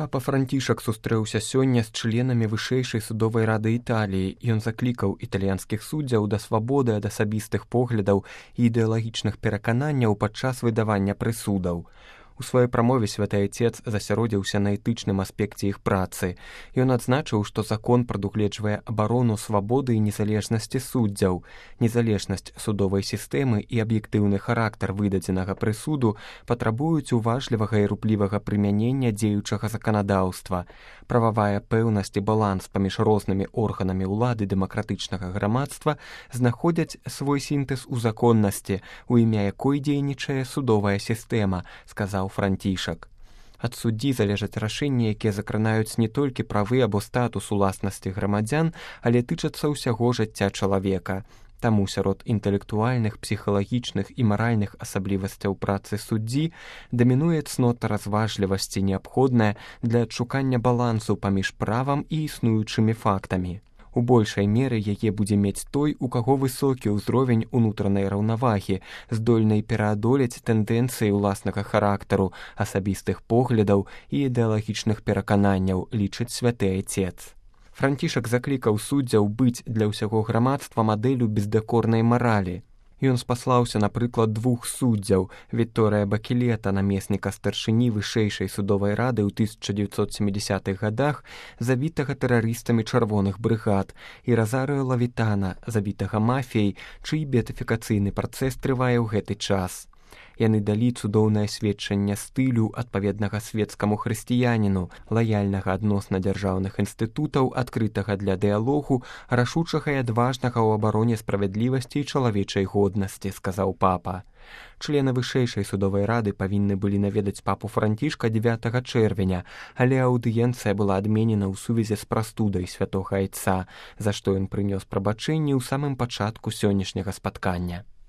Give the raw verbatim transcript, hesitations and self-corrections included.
Папа Францішак сустрэўся сёння з членамі вышэйшай судовай рады Італіі. Ён заклікаў італьянскіх суддзяў да свабоды ад асабістых поглядаў і ідэалагічных перакананняў падчас выдавання прысудаў. У сваёй прамове святы Айцец засяродзіўся на этычным аспекце іх працы. Ён адзначыў, што закон прадугледжвае абарону свабоды і незалежнасці суддзяў. Незалежнасць судовай сістэмы і аб'ектыўны характар выдадзенага прысуду патрабуюць уважлівага і руплівага прымянення дзеючага заканадаўства. Прававая пэўнасць і баланс паміж рознымі органамі ўлады дэмакратычнага грамадства знаходзяць свой сінтэз у законнасці, у імя якой дзейнічае судовая сістэма, сказаў Францішак. Ад суддзі залежаць рашэнні, якія закранаюць не толькі правы або статус уласнасці грамадзян, але тычацца ўсяго жыцця чалавека. Таму сярод інтэлектуальных, псіхалагічных і маральных асаблівасцяў працы суддзі дамінуе цнота разважлівасці, неабходная для адшукання балансу паміж правам і існуючымі фактамі. У большай меры яе будзе мець той, у каго высокі ўзровень унутранай раўнавагі, здольнай пераадолець тэндэнцыі ўласнага характару, асабістых поглядаў і ідэалагічных перакананняў, лічыць святы Айцец. Францішак заклікаў суддзяў быць для ўсяго грамадства мадэллю бездакорнай маралі. Ён спаслаўся на прыклад двух суддзяў – Вікторыя Бакілета, намесніка старшыні вышэйшай судовай рады ў тысяча дзевяцьсот сямідзясятых гадах, забітага тэрарыстамі чырвоных брыгад, і Разарыо Лавітана, забітага мафіяй, чый беатыфікацыйны працэс трывае ў гэты час. Яны далі цудоўнае сведчанне стылю, адпаведнага свецкаму хрысціяніну, лаяльнага адносна дзяржаўных інстытутаў, адкрытага для дыялогу, рашучага і адважнага ў абароне справядлівасці і чалавечай годнасці, сказаў папа. Члены вышэйшай судовай рады павінны былі наведаць папу Францішка дзевятага чэрвеня, але аўдыенцыя была адменена ў сувязі з прастудай святога Айца, за што ён прынёс прабачэнні ў самым пачатку сённяшняга спаткання.